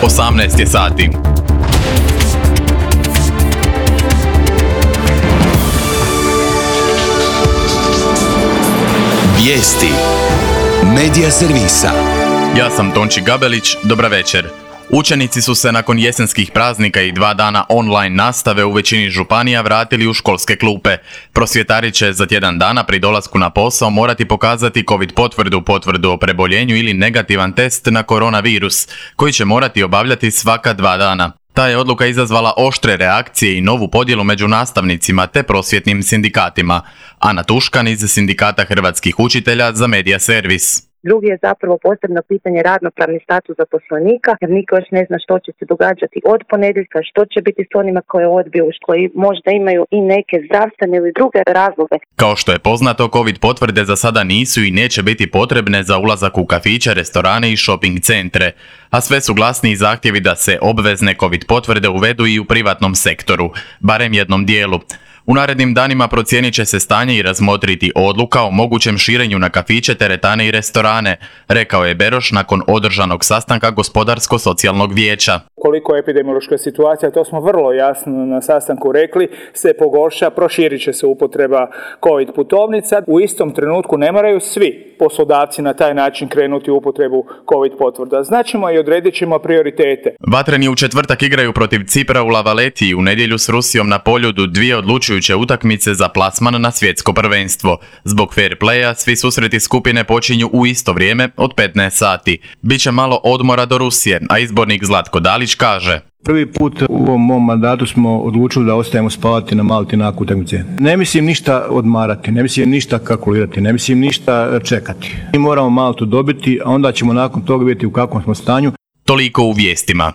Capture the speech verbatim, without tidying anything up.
osamnaest je sati. Vijesti Medija servisa. Ja sam Tonči Gabelić, dobra večer. Učenici su se nakon jesenskih praznika i dva dana online nastave u većini županija vratili u školske klupe. Prosvjetari će za tjedan dana pri dolasku na posao morati pokazati COVID potvrdu, potvrdu o preboljenju ili negativan test na koronavirus, koji će morati obavljati svaka dva dana. Ta je odluka izazvala oštre reakcije i novu podjelu među nastavnicima te prosvjetnim sindikatima. Ana Tuškan iz Sindikata hrvatskih učitelja za Medija servis. Drugi je zapravo posebno pitanje radnopravni status zaposlenika, jer niko još ne zna što će se događati od ponedjeljka, što će biti s onima koje odbiju, koji možda imaju i neke zdravstvene ili druge razloge. Kao što je poznato, COVID potvrde za sada nisu i neće biti potrebne za ulazak u kafiće, restorane i shopping centre, a sve su glasniji zahtjevi da se obvezne COVID potvrde uvedu i u privatnom sektoru, barem jednom dijelu. U narednim danima procijenit će se stanje i razmotriti odluka o mogućem širenju na kafiće, teretane i restorane, rekao je Beroš nakon održanog sastanka Gospodarsko-socijalnog vijeća. Koliko epidemiološka situacija, to smo vrlo jasno na sastanku rekli, se pogorša, proširit će se upotreba COVID putovnica. U istom trenutku ne moraju svi poslodavci na taj način krenuti u upotrebu COVID potvrda. Značimo i odredit ćemo prioritete. Vatreni u četvrtak igraju protiv Cipra u La Valetti i u nedjelju s Rusijom na Poljudu, dvije odlučujuće utakmice za plasman na svjetsko prvenstvo. Zbog fair playa svi susreti skupine počinju u isto vrijeme od petnaest sati. Biće malo odmora do Rusije, a izbornik Zlatko Dalić kaže: Prvi put u ovom mom mandatu smo odlučili da ostajemo spavati na Malti nakon utakmice. Ne mislim ništa odmarati, ne mislim ništa kalkulirati, ne mislim ništa čekati. Mi moramo Maltu dobiti, a onda ćemo nakon toga vidjeti u kakvom smo stanju. Toliko u vijestima.